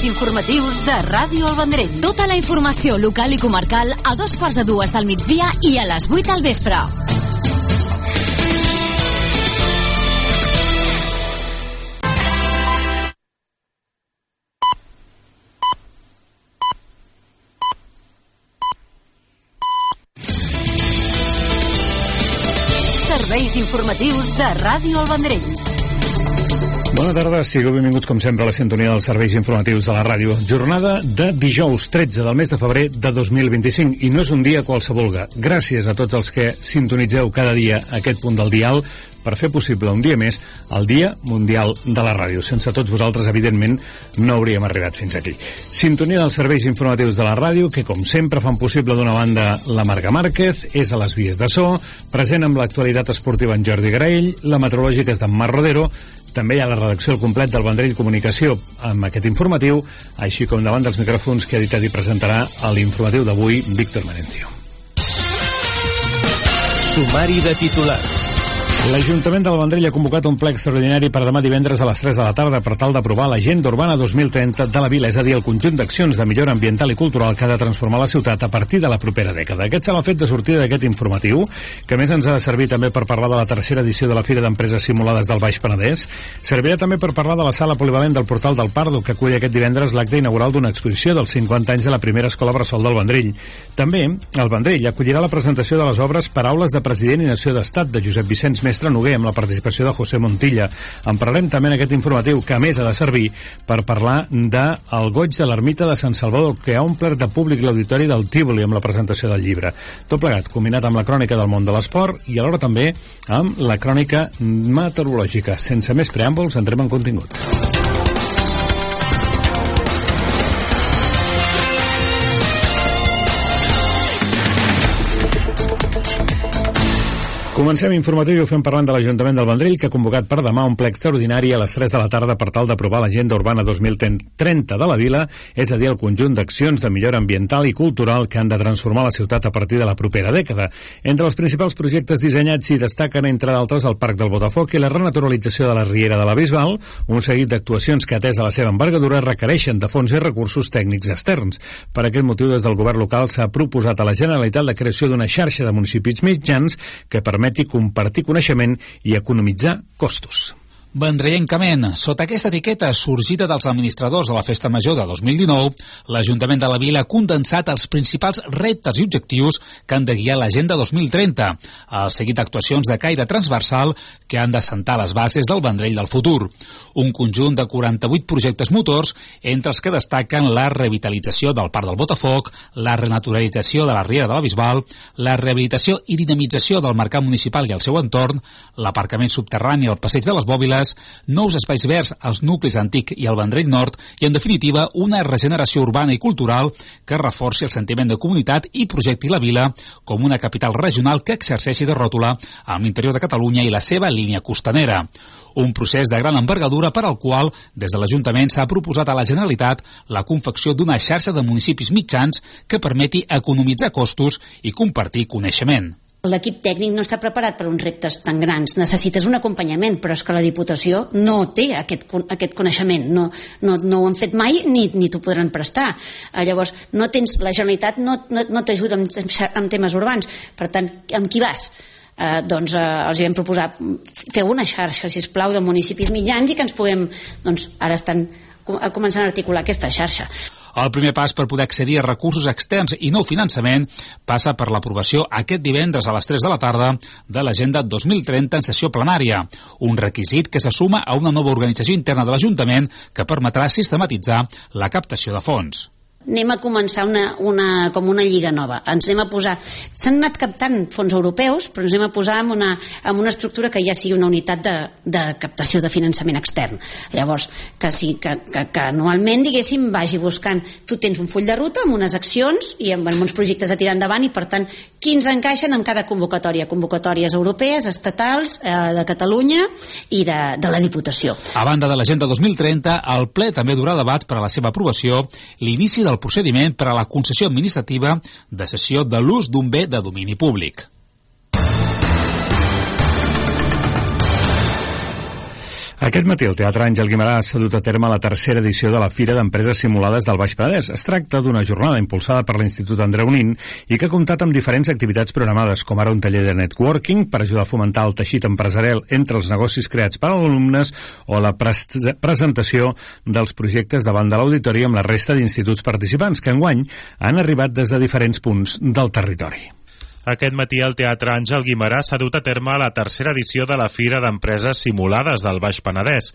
Serveis informatius de Ràdio El Vendrell. Tota la informació local i comarcal a 2:45 del migdia i a les 8 del vespre. Serveis informatius de Ràdio El Vendrell. Bona tarda, sigueu benvinguts com sempre a la sintonia dels serveis informatius de la ràdio. Jornada de dijous 13 del mes de febrer de 2025 i no és un dia qualsevol. Gràcies a tots els que sintonitzeu cada dia aquest punt del dial per fer possible un dia més el Dia Mundial de la Ràdio. Sense tots vosaltres, evidentment, no hauríem arribat fins aquí. Sintonia dels serveis informatius de la ràdio que, com sempre, fan possible d'una banda la Marga Márquez, és a les vies de so, present amb l'actualitat esportiva en Jordi Graell, la meteorològica és d'en Mar Rodero, també hi ha la redacció al complet del Vendrell Comunicació amb aquest informatiu, així com davant dels micròfons que ha editat i presentarà a l'informatiu d'avui Víctor Merencio. Sumari de titulars. L'Ajuntament del Vendrell ha convocat un ple extraordinari per demà divendres a les 3 de la tarda per tal d'aprovar l'Agenda Urbana 2030 de la vila, és a dir, el conjunt d'accions de millora ambiental i cultural que ha de transformar la ciutat a partir de la propera dècada. Aquest serà el fet de sortida d'aquest informatiu, que a més ens ha de servir també per parlar de la tercera edició de la Fira d'Empreses Simulades del Baix Penedès. Servirà també per parlar de la sala polivalent del Portal del Pardo, que acull aquest divendres l'acte inaugural d'una exposició dels 50 anys de la primera escola bressol del Vendrell. També, el Vendrell acollirà la presentació de les obres Paraules de President i Nació d'Estat de Josep Vicenç Mestre Noguer amb la participació de José Montilla. En parlarem també en aquest informatiu, que a més ha de servir per parlar del goig de l'ermita de Sant Salvador, que ha omplert de públic l'auditori del Tívoli amb la presentació del llibre. Tot plegat, combinat amb la crònica del món de l'esport i alhora també amb la crònica meteorològica. Sense més preàmbuls, entrem en contingut. Comencem informatiu i ho fem parlant de l'Ajuntament del Vendrell, que ha convocat per demà un ple extraordinari a les 3 de la tarda per tal d'aprovar l'Agenda Urbana 2030 de la vila, és a dir, el conjunt d'accions de millora ambiental i cultural que han de transformar la ciutat a partir de la propera dècada. Entre els principals projectes dissenyats hi destaquen, entre d'altres, el Parc del Botafoc i la renaturalització de la Riera de la Bisbal, un seguit d'actuacions que, atès a la seva envergadura, requereixen de fons i recursos tècnics externs. Per aquest motiu, des del govern local s'ha proposat a la Generalitat la creació d'una xarxa de municipis mitjans que permeti compartir coneixement i economitzar costos. Vendrellencament, sota aquesta etiqueta sorgida dels administradors de la Festa Major de 2019, l'Ajuntament de la Vila ha condensat els principals reptes i objectius que han de guiar l'Agenda 2030, el seguit d'actuacions de caire transversal que han d'assentar les bases del Vendrell del futur. Un conjunt de 48 projectes motors, entre els que destaquen la revitalització del Parc del Botafoc, la renaturalització de la Riera de la Bisbal, la rehabilitació i dinamització del mercat municipal i el seu entorn, l'aparcament subterrani al Passeig de les Bòbiles, nous espais verds als nuclis antic i al Vendrell Nord i, en definitiva, una regeneració urbana i cultural que reforci el sentiment de comunitat i projecti la vila com una capital regional que exerceixi de ròtula amb l'interior de Catalunya i la seva línia costanera. Un procés de gran envergadura per al qual, des de l'Ajuntament, s'ha proposat a la Generalitat la confecció d'una xarxa de municipis mitjans que permeti economitzar costos i compartir coneixement. L'equip tècnic no està preparat per uns reptes tan grans. Necessites un acompanyament, però és que la Diputació no té aquest coneixement. No ho han fet mai ni t'ho podran prestar. Llavors, la Generalitat no t'ajuda en temes urbans. Per tant, amb qui vas? Els vam proposar fer una xarxa, sisplau, de municipis mitjans i que ens puguem, ara estan començant a articular aquesta xarxa. El primer pas per poder accedir a recursos externs i nou finançament passa per l'aprovació aquest divendres a les 3 de la tarda de l'Agenda 2030 en sessió plenària, un requisit que se suma a una nova organització interna de l'Ajuntament que permetrà sistematitzar la captació de fons. Anem a començar com una lliga nova. Ens anem a posar... S'han anat captant fons europeus, però ens anem a posar amb una estructura que ja sigui una unitat de captació de finançament extern. Llavors, que anualment, diguéssim, vagi buscant... Tu tens un full de ruta amb unes accions i amb uns projectes a tirar endavant i, per tant, quins encaixen en cada convocatòria. Convocatòries europees, estatals, de Catalunya i de la Diputació. A banda de l'Agenda 2030, el ple també durà debat per a la seva aprovació l'inici del procediment per a la concessió administrativa de cessió de l'ús d'un bé de domini públic. Aquest matí el Teatre Àngel Guimerà s'ha dut a terme la tercera edició de la Fira d'Empreses Simulades del Baix Penedès. Es tracta d'una jornada impulsada per l'Institut Andreu Nin i que ha comptat amb diferents activitats programades, com ara un taller de networking per ajudar a fomentar el teixit empresarial entre els negocis creats per als alumnes o la presentació dels projectes davant de l'auditori amb la resta d'instituts participants que enguany han arribat des de diferents punts del territori. Aquest matí al Teatre Àngel Guimerà s'ha dut a terme la tercera edició de la Fira d'Empreses Simulades del Baix Penedès.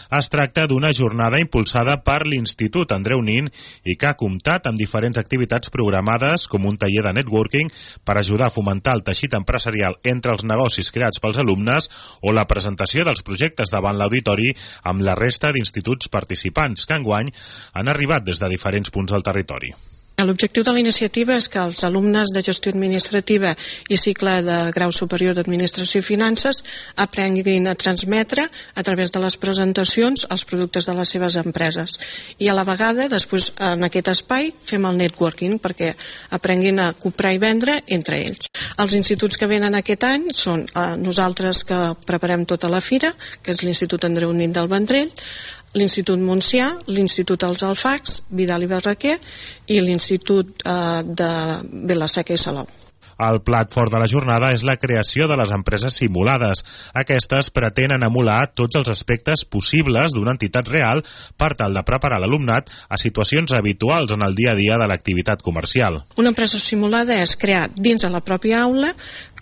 Es tracta d'una jornada impulsada per l'Institut Andreu Nin i que ha comptat amb diferents activitats programades com un taller de networking per ajudar a fomentar el teixit empresarial entre els negocis creats pels alumnes o la presentació dels projectes davant l'auditori amb la resta d'instituts participants que enguany han arribat des de diferents punts del territori. L'objectiu de la iniciativa és que els alumnes de gestió administrativa i cicle de grau superior d'administració i finances aprenguin a transmetre a través de les presentacions els productes de les seves empreses i a la vegada després en aquest espai fem el networking perquè aprenguin a comprar i vendre entre ells. Els instituts que venen aquest any són nosaltres que preparem tota la fira, que és l'Institut Andreu Nin del Vendrell, l'Institut Montsià, l'Institut Els Alfacs, Vidal i Barraquer i l'Institut de Vila-seca i Salou. El plat fort de la jornada és la creació de les empreses simulades. Aquestes pretenen emular tots els aspectes possibles d'una entitat real per tal de preparar l'alumnat a situacions habituals en el dia a dia de l'activitat comercial. Una empresa simulada és crear dins de la pròpia aula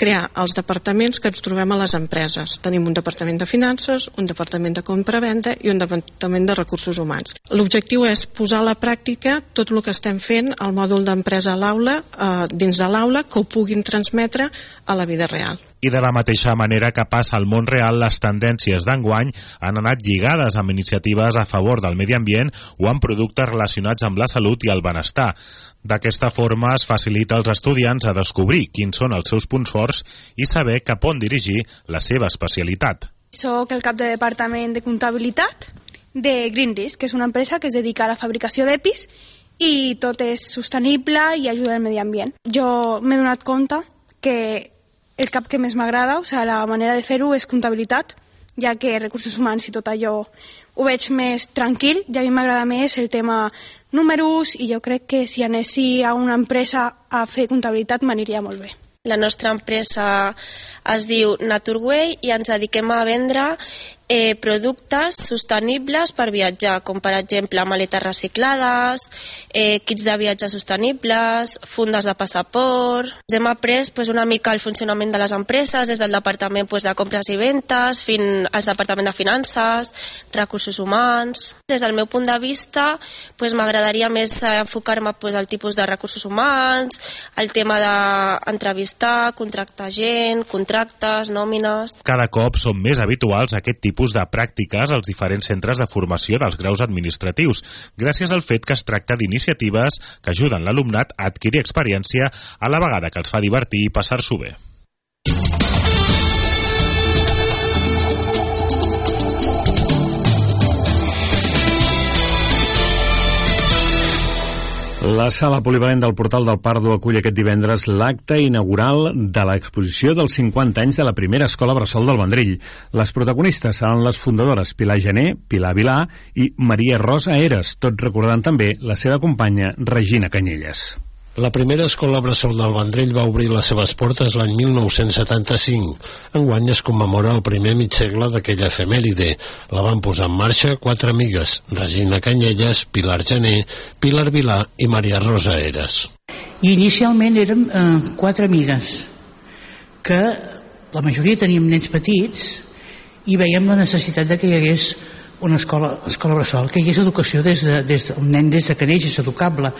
crear els departaments que ens trobem a les empreses. Tenim un departament de finances, un departament de compra-venda i un departament de recursos humans. L'objectiu és posar a la pràctica tot el que estem fent al mòdul d'empresa a l'aula, dins de l'aula, que ho puguin transmetre a la vida real. I de la mateixa manera que passa al món real, les tendències d'enguany han anat lligades amb iniciatives a favor del medi ambient o amb productes relacionats amb la salut i el benestar. D'aquesta forma es facilita als estudiants a descobrir quins són els seus punts forts i saber cap on dirigir la seva especialitat. Soc el cap de departament de comptabilitat de Green Risk, que és una empresa que es dedica a la fabricació d'EPIs i tot és sostenible i ajuda al medi ambient. Jo m'he donat compte que el cap que més m'agrada, o sigui, la manera de fer-ho és comptabilitat, ja que recursos humans i tot allò ho veig més tranquil, i a mi m'agrada més el tema números i jo crec que si anessi a una empresa a fer comptabilitat m'aniria molt bé. La nostra empresa es diu Naturway i ens dediquem a vendre productes sostenibles per viatjar, com per exemple maletes reciclades, kits de viatge sostenibles, fundes de passaport. Ens hem après una mica el funcionament de les empreses, des del departament de compres i ventes fins al departament de finances, recursos humans. Des del meu punt de vista m'agradaria més enfocar-me al tipus de recursos humans, el tema d'entrevistar, contractar gent, contractes, nòmines. Cada cop són més habituals aquest tipus de pràctiques als diferents centres de formació dels graus administratius, gràcies al fet que es tracta d'iniciatives que ajuden l'alumnat a adquirir experiència a la vegada que els fa divertir i passar-s'ho bé. La sala polivalent del Portal del Pardo acull aquest divendres l'acte inaugural de l'exposició dels 50 anys de la primera escola bressol del Vendrell. Les protagonistes seran les fundadores Pilar Gené, Pilar Vilà i Maria Rosa Eres, tot recordant també la seva companya Regina Canyelles. La primera escola bressol del Vendrell va obrir les seves portes l'any 1975. Enguany es commemora el primer mig segle d'aquella efemèride. La van posar en marxa 4 amigues, Regina Canyelles, Pilar Gené, Pilar Vilà i Maria Rosa Eres. I inicialment érem 4 amigues, que la majoria teníem nens petits i veiem la necessitat de que hi hagués una escola bressol, que hi hagués educació un nen des de que neix és educable,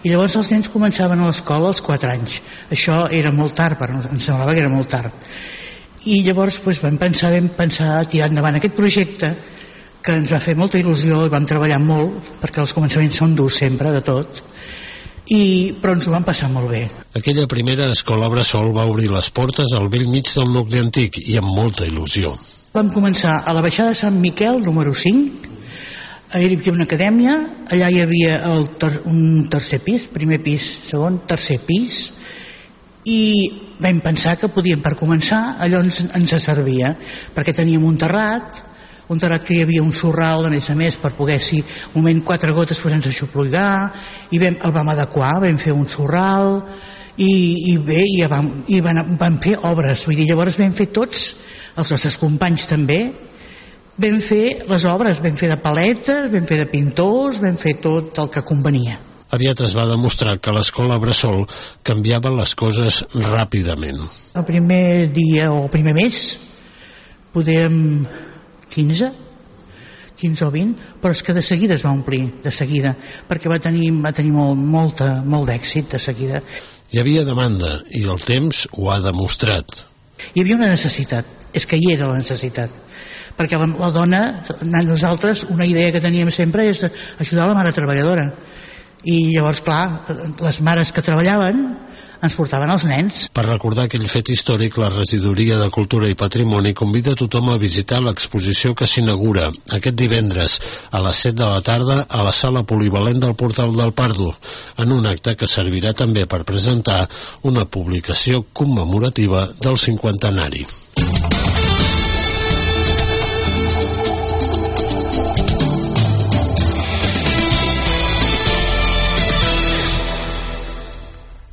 i llavors els nens començaven a l'escola als 4 anys. Això era molt tard, però ens semblava que era molt tard, i llavors vam pensar tirar endavant aquest projecte, que ens va fer molta il·lusió i vam treballar molt, perquè els començaments són durs sempre, de tot, però ens ho vam passar molt bé. Aquella primera escola bressol va obrir les portes al bell mig del nucli antic i amb molta il·lusió. Vam començar a la baixada de Sant Miquel, número 5, hi havia una acadèmia, allà hi havia un tercer pis, primer pis, segon, tercer pis, i vam pensar que podíem, per començar, allò ens servia, perquè teníem un terrat contarat que hi havia un sorral, a més, per poder, si un moment 4 gotes sense xuplugar, i el vam adequar, vam fer un sorral, i vam fer obres, vull dir, llavors vam fer tots, els nostres companys també, vam fer les obres, vam fer de paletes, vam fer de pintors, vam fer tot el que convenia. Aviat es va demostrar que l'escola Bressol canviava les coses ràpidament. El primer dia o el primer mes podem 15 o 20, però és que de seguida es va omplir, de seguida, perquè va tenir molt d'èxit de seguida. Hi havia demanda i el temps ho ha demostrat. Hi havia una necessitat, és que hi era la necessitat, perquè la dona, nosaltres, una idea que teníem sempre és ajudar la mare treballadora, i llavors, clar, les mares que treballaven ens portaven els nens. Per recordar aquell fet històric, la Regidoria de Cultura i Patrimoni convida tothom a visitar l'exposició que s'inaugura aquest divendres a les 7 de la tarda a la sala polivalent del Portal del Pardo, en un acte que servirà també per presentar una publicació commemorativa del 50ennari.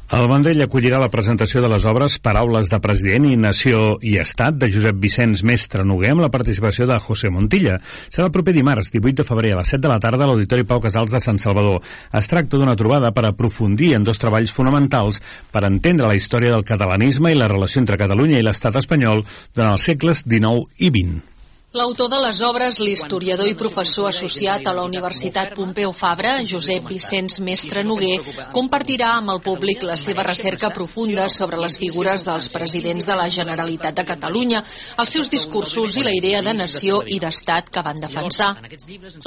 El Vendrell acollirà la presentació de les obres Paraules de president i Nació i Estat de Josep Vicenç Mestre Noguer amb la participació de José Montilla. Serà el proper dimarts, 18 de febrer, a les 7 de la tarda a l'Auditori Pau Casals de Sant Salvador. Es tracta d'una trobada per aprofundir en 2 treballs fonamentals per entendre la història del catalanisme i la relació entre Catalunya i l'estat espanyol durant els segles XIX i XX. L'autor de les obres, l'historiador i professor associat a la Universitat Pompeu Fabra, Josep Vicenç Mestre Noguer, compartirà amb el públic la seva recerca profunda sobre les figures dels presidents de la Generalitat de Catalunya, els seus discursos i la idea de nació i d'estat que van defensar.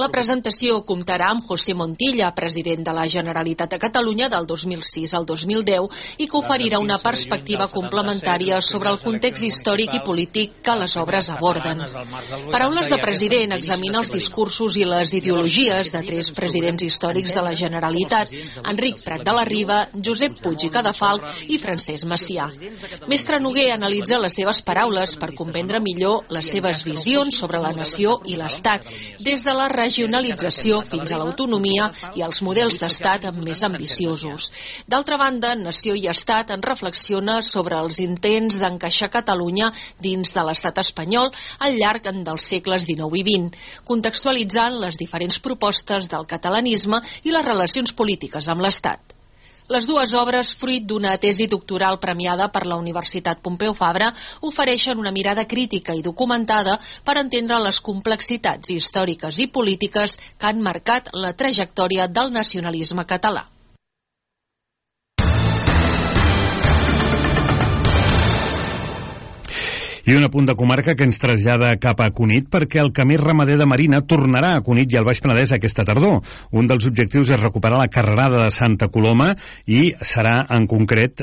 La presentació comptarà amb José Montilla, president de la Generalitat de Catalunya del 2006 al 2010, i que oferirà una perspectiva complementària sobre el context històric i polític que les obres aborden. Paraules de president examina els discursos i les ideologies de 3 presidents històrics de la Generalitat, Enric Prat de la Riba, Josep Puig i Cadafalch i Francesc Macià. Mestre Noguer analitza les seves paraules per comprendre millor les seves visions sobre la nació i l'estat, des de la regionalització fins a l'autonomia i els models d'estat més ambiciosos. D'altra banda, Nació i Estat en reflexiona sobre els intents d'encaixar Catalunya dins de l'estat espanyol al llarg dels segles XIX i XX, contextualitzant les diferents propostes del catalanisme i les relacions polítiques amb l'Estat. Les 2 obres, fruit d'una tesi doctoral premiada per la Universitat Pompeu Fabra, ofereixen una mirada crítica i documentada per entendre les complexitats històriques i polítiques que han marcat la trajectòria del nacionalisme català. I un apunt de comarca que ens trasllada cap a Cunit perquè el camí ramader de Marina tornarà a Cunit i al Baix Penedès aquesta tardor. Un dels objectius és recuperar la carrerada de Santa Coloma i serà en concret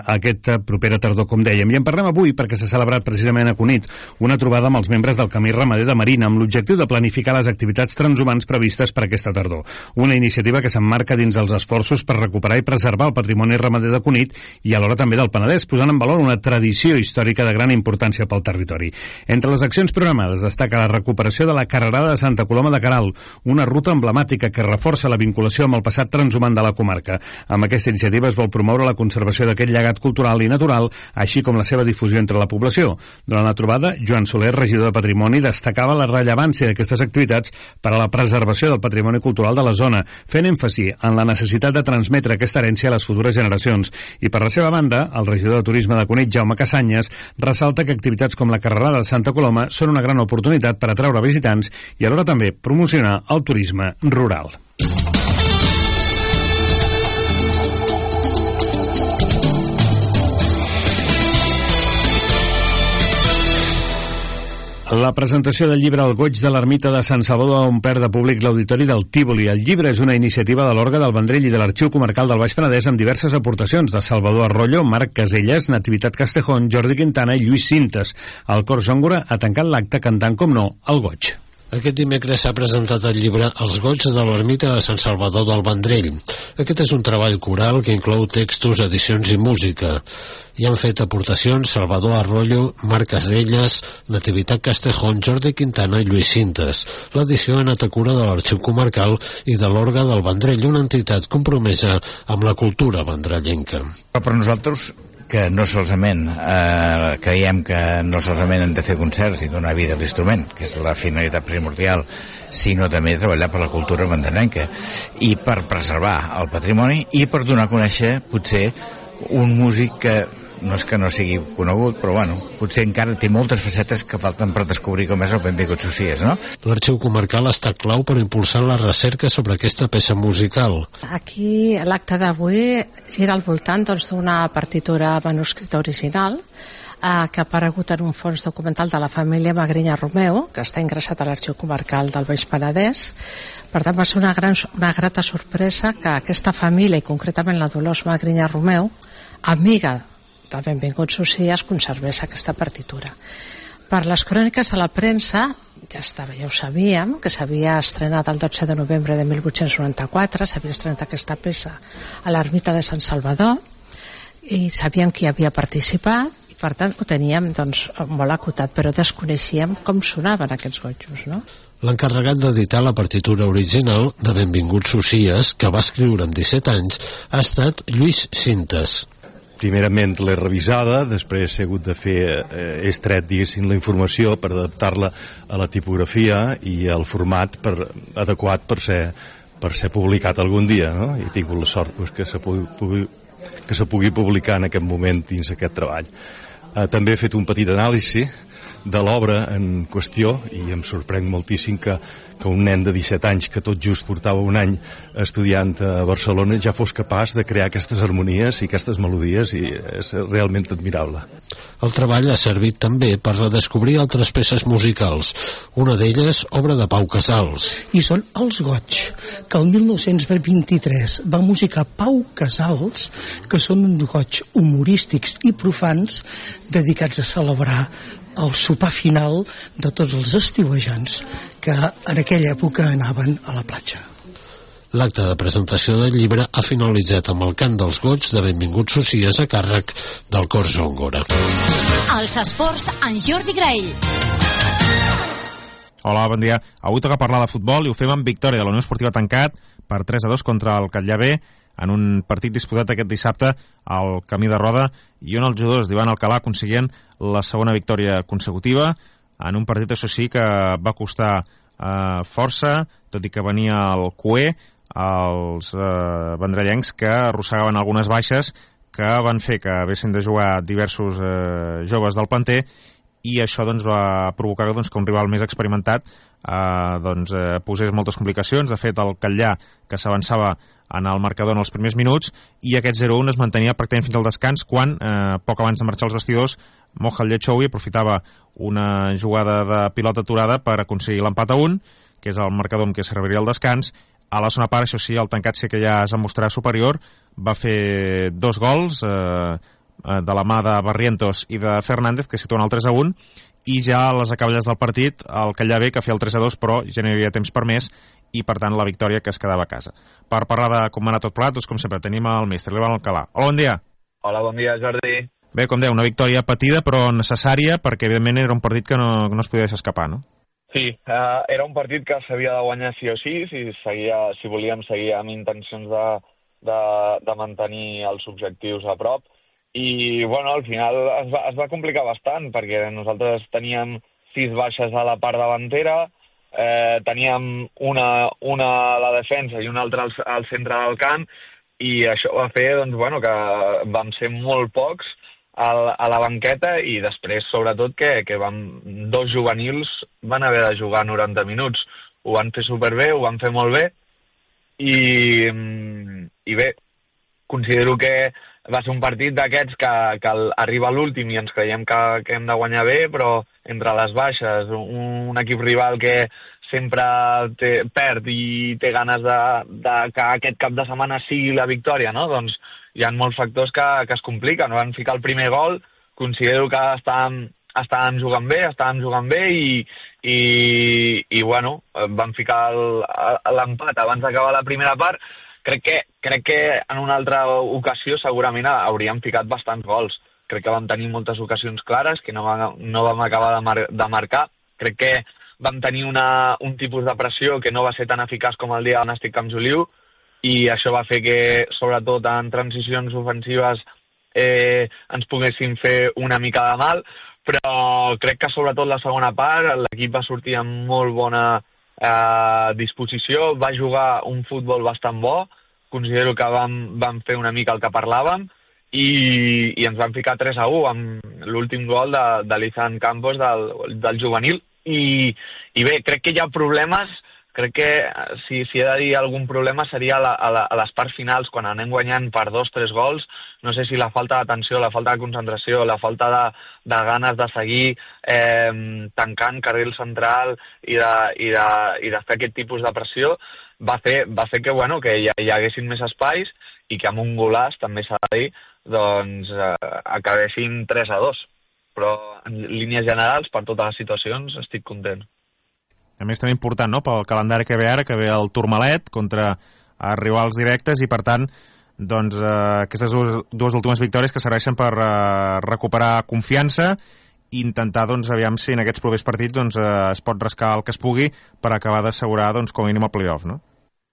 aquesta propera tardor, com dèiem. I en parlem avui perquè s'ha celebrat precisament a Cunit una trobada amb els membres del camí ramader de Marina amb l'objectiu de planificar les activitats transhumants previstes per aquesta tardor. Una iniciativa que s'emmarca dins els esforços per recuperar i preservar el patrimoni ramader de Cunit i alhora també del Penedès, posant en valor una tradició històrica de gran importància pel territori. Entre les accions programades destaca la recuperació de la carrerada de Santa Coloma de Queralt, una ruta emblemàtica que reforça la vinculació amb el passat transhumant de la comarca. Amb aquesta iniciativa es vol promoure la conservació d'aquest llegat cultural i natural, així com la seva difusió entre la població. Durant la trobada, Joan Soler, regidor de Patrimoni, destacava la rellevància d'aquestes activitats per a la preservació del patrimoni cultural de la zona, fent èmfasi en la necessitat de transmetre aquesta herència a les futures generacions. I per la seva banda, el regidor de Turisme de Cunit, Jaume Casanyes, ressalta que activitats com la carrerada de Santa Coloma són una gran oportunitat per atraure visitants i alhora també promocionar el turisme rural. La presentació del llibre El goig de l'ermita de Sant Salvador ha omplert de públic l'auditori del Tívoli. El llibre és una iniciativa de l'Orga del Vendrell i de l'Arxiu Comarcal del Baix Penedès amb diverses aportacions de Salvador Arroyo, Marc Caselles, Nativitat Castejón, Jordi Quintana i Lluís Cintes. El cor Zòngora ha tancat l'acte cantant, com no, El goig. Aquest dimecres s'ha presentat el llibre Els goigs de l'ermita de Sant Salvador del Vendrell. Aquest és un treball coral que inclou textos, edicions i música. Hi han fet aportacions Salvador Arroyo, Marc Caselles, Nativitat Castejón, Jordi Quintana i Lluís Cintes. L'edició ha anat a cura de l'Arxiu Comarcal i de l'Orga del Vendrell, una entitat compromesa amb la cultura vendrellenca. Per nosaltres, que no solament creiem que no solament hem de fer concerts i donar vida a l'instrument, que és la finalitat primordial, sinó també treballar per la cultura vendrellenca i per preservar el patrimoni i per donar a conèixer potser un músic que no és que no sigui conegut, però bueno, potser encara té moltes facetes que falten per descobrir com és el Benvingut Socies, no? L'Arxiu Comarcal ha estat clau per impulsar la recerca sobre aquesta peça musical. Aquí l'acte d'avui gira al voltant d'una partitura manuscrita original que ha aparegut en un fons documental de la família Magrinya Romeu, que està ingressat a l'Arxiu Comarcal del Baix Penedès. Per tant, va ser una grata sorpresa que aquesta família, i concretament la Dolors Magrinya Romeu, amiga de Benvingut Socies, conservés aquesta partitura. Per les cròniques de la premsa, ja ho sabíem, que s'havia estrenat el 12 de novembre de 1894, s'havia estrenat aquesta peça a l'ermita de Sant Salvador, i sabíem qui havia participat, i per tant ho teníem molt acotat, però desconeixíem com sonaven aquests gotjos, no? L'encarregat d'editar la partitura original de Benvingut Socies, que va escriure amb 17 anys, ha estat Lluís Cintes. Primerament l'he revisada, després he hagut de fer, he extret, diguéssim, la informació per adaptar-la a la tipografia i al format adequat per ser publicat algun dia, no? I he tingut la sort que se pugui publicar en aquest moment dins aquest treball. També he fet un petit anàlisi de l'obra en qüestió i em sorprèn moltíssim que un nen de 17 anys que tot just portava un any estudiant a Barcelona ja fos capaç de crear aquestes harmonies i aquestes melodies, i és realment admirable. El treball ha servit també per redescobrir altres peces musicals, una d'elles obra de Pau Casals. I són els goig, que el 1923 va musicar Pau Casals, que són uns goig humorístics i profans dedicats a celebrar el sopar final de tots els estiuejants que en aquella època anaven a la platja. L'acte de presentació del llibre ha finalitzat amb el cant dels goig de Benvingut Socies a càrrec del Cor Zongora. Els esports en Jordi Graell. Hola, bon dia. Avui toca parlar de futbol i ho fem amb victòria de la Unió Esportiva Tancat per 3-2 contra el Catllà B en un partit disputat aquest dissabte al Camí de Roda i on els jugadors d'Ivan Alcalà aconseguien la segona victòria consecutiva en un partit, això sí, que va costar força, tot i que venia el cué als vendrellencs que arrossegaven algunes baixes que van fer que haguessin de jugar diversos joves del planter, i això va provocar que un rival més experimentat posés moltes complicacions. De fet, el Catllà, que s'avançava en el marcador en els primers minuts, i aquest 0-1 es mantenia pràcticament fins al descans, quan, poc abans de marxar als vestidors, Moja Llechowi aprofitava una jugada de pilota aturada per aconseguir l'empat a 1, que és el marcador amb què s'arribaria al descans. A la segona part, això sí, el Tancat sí que ja es va mostrar superior, va fer 2 gols de la mà de Barrientos i de Fernández, que situen el 3-1, i ja a les acaballes del partit el Catllà B, que feia el 3-2, però ja no hi havia temps per més, i per tant la victòria que es quedava a casa. Per parlar de com va anar tot plegat, com sempre tenim el mestre l'Ivan Alcalà. Hola, bon dia. Hola, bon dia, Jordi. Bé, com dèu, una victòria patida però necessària, perquè evidentment era un partit que no es podia deixar escapar, no? Sí, era un partit que s'havia de guanyar sí o sí, si volíem seguir amb intencions de mantenir els objectius a prop. I, bueno, al final es va complicar bastant, perquè nosaltres teníem 6 baixes a la part davantera, teníem una a la defensa i una altra al centre del camp, i això va fer que vam ser molt pocs a la banqueta, i després, sobretot, que 2 juvenils van haver de jugar 90 minuts. Ho van fer superbé, ho van fer molt bé, i bé, considero que va ser un partit d'aquests que arriba a l'últim i ens creiem que hem de guanyar bé, però entre les baixes, un equip rival que sempre perd i té ganes de que aquest cap de setmana sigui la victòria, no? Doncs hi ha molts factors que es compliquen. Van ficar el primer gol, considero que estàvem jugant bé i bueno, van ficar l'empat abans d'acabar la primera part, Crec que en una altra ocasió segurament hauríem ficat bastants gols. Crec que vam tenir moltes ocasions clares que no vam acabar de marcar. Crec que vam tenir un tipus de pressió que no va ser tan eficaç com el dia on estic amb Juliu, i això va fer que, sobretot en transicions ofensives, ens poguéssim fer una mica de mal, però crec que sobretot la segona part l'equip va sortir amb molt bona disposició, va jugar un futbol bastant bo, considero que vam fer una mica el que parlàvem, i ens van ficar 3-1 amb l'últim gol de l'Izan Campos del juvenil, i bé, crec que hi ha problemes. Crec que si he de dir algun problema seria a les parts finals, quan anem guanyant per 2-3 gols. No sé si la falta d'atenció, la falta de concentració, la falta de ganes de seguir tancant carril central i de fer aquest tipus de pressió va fer que, bueno, que hi haguessin més espais i que amb un golaç, també s'ha de dir, doncs acabessin 3-2. Però en línies generals, per totes les situacions, estic content. A més, també important, no?, pel calendari que ve ara, que ve el Tourmalet contra rivals directes, i per tant, doncs, aquestes dues últimes victòries que serveixen per recuperar confiança i intentar, doncs, aviam si en aquests propers partits doncs, es pot rascar el que es pugui per acabar d'assegurar, doncs, com a mínim el playoff, no?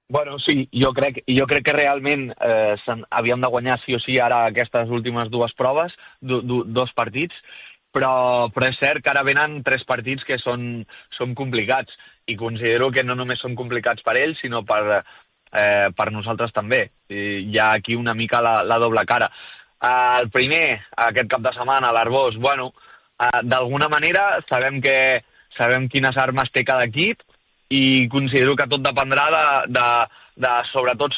Bueno, sí, jo crec que realment havíem de guanyar sí o sí ara aquestes últimes dues proves, dos partits, però és cert que ara venen 3 partits que són complicats, i considero que no només són complicats per ells, sinó per nosaltres també. Hi ha aquí una mica la doble cara. El primer, aquest cap de setmana, l'Arbós, bueno, d'alguna manera sabem quines armes té cada equip, i considero que tot dependrà de sobretot,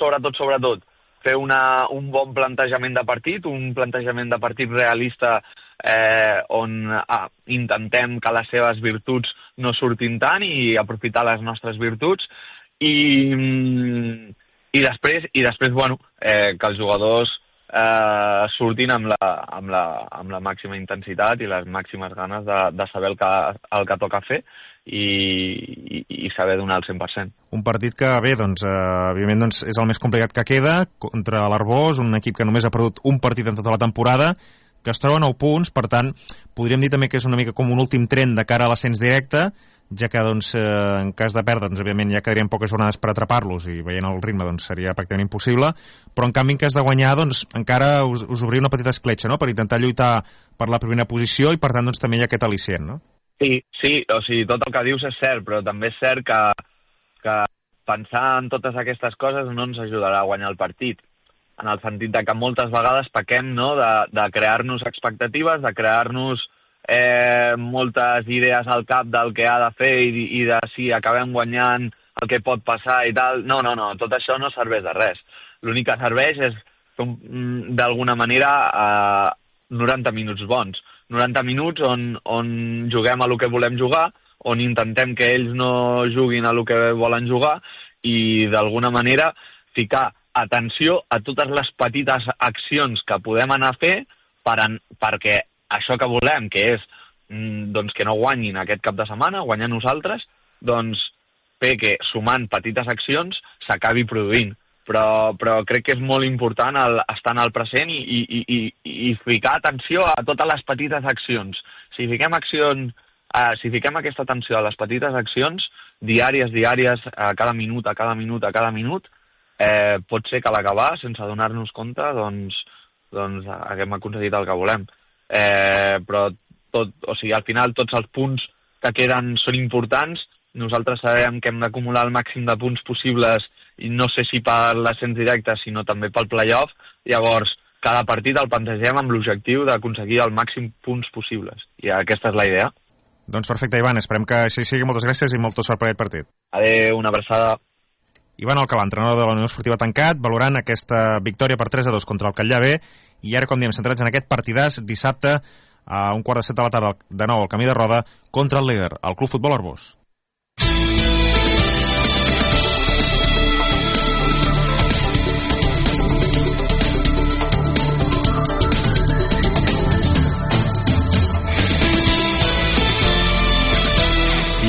fer un bon plantejament de partit, un plantejament de partit realista on intentem que les seves virtuts no surtin tant i aprofitar les nostres virtuts, i després bueno, que els jugadors surtin amb la màxima intensitat i les màximes ganes de saber el que toca fer i saber donar el 100%. Un partit que, bé, doncs, evidentment doncs, és el més complicat que queda, contra l'Arbós, un equip que només ha perdut un partit en tota la temporada, que es troba a 9 punts, per tant, podríem dir també que és una mica com un últim tren de cara a l'ascens directe, ja que, doncs, en cas de perdre, doncs, òbviament ja quedarien poques jornades per atrapar-los, i veient el ritme doncs, seria pràcticament impossible, però en canvi, en cas de guanyar, doncs, encara us obria una petita escletxa, no?, per intentar lluitar per la primera posició, i per tant, doncs, també hi ha aquest al·licient, no? Sí, o sigui, tot el que dius és cert, però també és cert que pensar en totes aquestes coses no ens ajudarà a guanyar el partit, en el sentit de que moltes vegades pequem, no?, de crear-nos expectatives, de crear-nos moltes idees al cap del que ha de fer i de si acabem guanyant el que pot passar i tal. No, tot això no serveix de res. L'únic que serveix és, d'alguna manera, 90 minuts bons. 90 minuts on juguem a lo que volem jugar, on intentem que ells no juguin a lo que volen jugar i, d'alguna manera, ficar atenció a totes les petites accions que podem anar a fer perquè això que volem, que és doncs, que no guanyin aquest cap de setmana, guanyar nosaltres, doncs fer que, sumant petites accions, s'acabi produint. Però crec que és molt important estar en el present i ficar atenció a totes les petites accions. Si fiquem aquesta atenció a les petites accions, diàries, a cada minut, pot ser que a l'acabar, sense donar-nos compte, doncs haguem aconseguit el que volem. Però al final tots els punts que queden són importants. Nosaltres sabem que hem d'acumular el màxim de punts possibles, i no sé si per l'ascens directe, sinó també pel playoff. Llavors, cada partit el plantegem amb l'objectiu d'aconseguir el màxim punts possibles. I aquesta és la idea. Doncs perfecte, Ivan, esperem que així sigui. Moltes gràcies i molta sort per aquest partit. Adéu, una abraçada. Ivan Alcalà, entrenador de la Unió Esportiva Tancat, valorant aquesta victòria per 3-2 contra el Catllà-B, i ara, com diem, centrats en aquest partidàs dissabte a 6:45 de la tarda, de nou al Camí de Roda, contra el líder, el Club Futbol Arbós.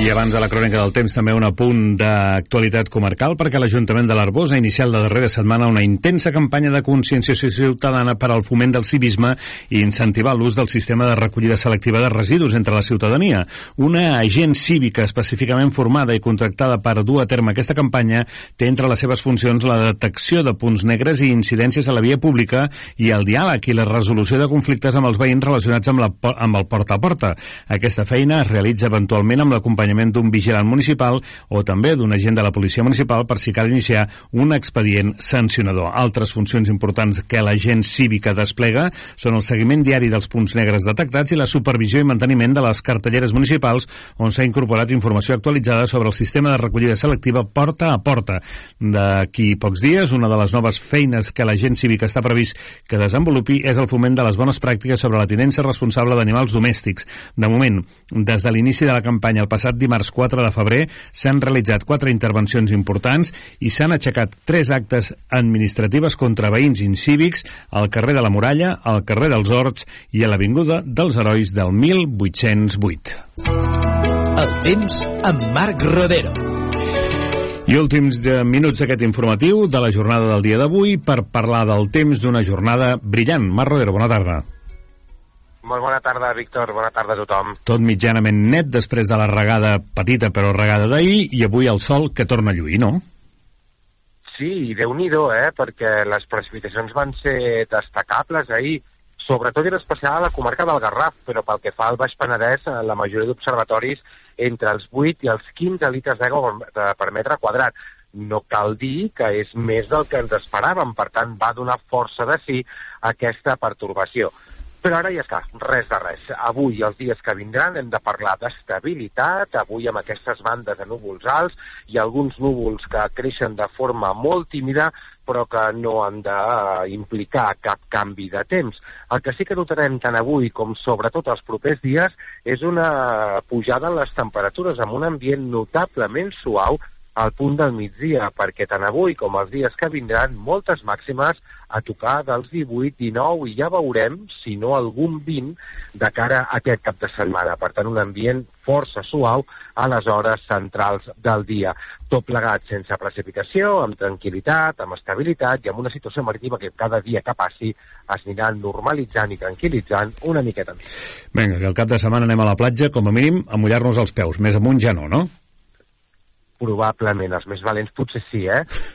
I I abans de la crònica del temps, també un apunt d'actualitat comarcal, perquè l'Ajuntament de l'Arboç ha iniciat la darrera setmana una intensa campanya de conscienciació ciutadana per al foment del civisme i incentivar l'ús del sistema de recollida selectiva de residus entre la ciutadania. Una agent cívica específicament formada i contractada per dur a terme aquesta campanya té entre les seves funcions la detecció de punts negres i incidències a la via pública i el diàleg i la resolució de conflictes amb els veïns relacionats amb el porta a porta. Aquesta feina es realitza eventualment amb l'acompanyament d'un vigilant municipal o també d'un agent de la policia municipal per si cal iniciar un expedient sancionador. Altres funcions importants que l'agent cívica desplega són el seguiment diari dels punts negres detectats i la supervisió i manteniment de les cartelleres municipals on s'ha incorporat informació actualitzada sobre el sistema de recollida selectiva porta a porta. D'aquí pocs dies, una de les noves feines que l'agent cívica està previst que desenvolupi és el foment de les bones pràctiques sobre la tinença responsable d'animals domèstics. De moment, des de l'inici de la campanya el passat dimarts 4 de febrer s'han realitzat 4 intervencions importants i s'han aixecat 3 actes administratives contra veïns incívics al carrer de la Muralla, al carrer dels Horts i a l'Avinguda dels Herois del 1808. El temps amb Marc Rodero. I últims minuts d'aquest informatiu de la jornada del dia d'avui per parlar del temps d'una jornada brillant. Marc Rodero, bona tarda. Molt bona tarda, Víctor. Bona tarda a tothom. Tot mitjanament net després de la regada, petita però regada d'ahir, i avui el sol que torna a lluir, no? Sí, Déu-n'hi-do, perquè les precipitacions van ser destacables ahir, sobretot i en especial a la comarca del Garraf, però pel que fa al Baix Penedès, la majoria d'observatoris entre els 8 i els 15 litres d'aigua per metre quadrat. No cal dir que és més del que ens esperàvem, per tant va donar força de sí aquesta pertorbació. Però ara ja està, res de res. Avui i els dies que vindran hem de parlar d'estabilitat, avui amb aquestes bandes de núvols alts i alguns núvols que creixen de forma molt tímida, però que no han d'implicar cap canvi de temps. El que sí que notarem tant avui com sobretot els propers dies és una pujada en les temperatures amb un ambient notablement suau al punt del migdia, perquè tant avui com els dies que vindran moltes màximes a tocar dels 18, 19 i ja veurem, si no algun 20, de cara a aquest cap de setmana. Per tant, un ambient força suau a les hores centrals del dia. Tot plegat sense precipitació, amb tranquil·litat, amb estabilitat i amb una situació marítima que cada dia que passi es anirà normalitzant i tranquil·litzant una miqueta més. Vinga, que el cap de setmana anem a la platja, com a mínim, a mullar-nos els peus. Més amunt ja no? Probablement, els més valents potser sí,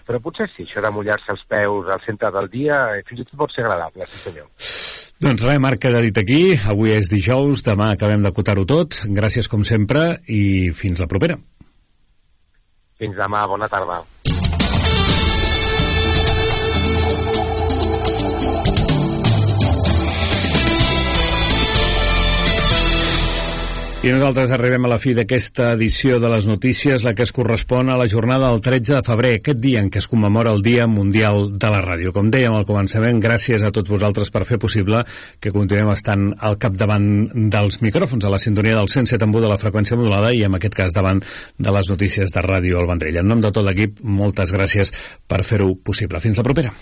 però potser sí, això de mullar-se els peus al centre del dia fins i tot pot ser agradable, sí senyor. Doncs res, Marc, queda dit aquí, avui és dijous, demà acabem d'acotar-ho tot, gràcies com sempre i fins la propera. Fins demà, bona tarda. I nosaltres arribem a la fi d'aquesta edició de les notícies, la que es correspon a la jornada del 13 de febrer, aquest dia en què es commemora el Dia Mundial de la Ràdio. Com dèiem al començament, gràcies a tots vosaltres per fer possible que continuem estant al capdavant dels micròfons, a la sintonia del 107.1 de la freqüència modulada i en aquest cas davant de les notícies de Ràdio El Vendrell. En nom de tot l'equip, moltes gràcies per fer-ho possible. Fins la propera.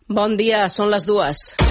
Bon dia, són les 2.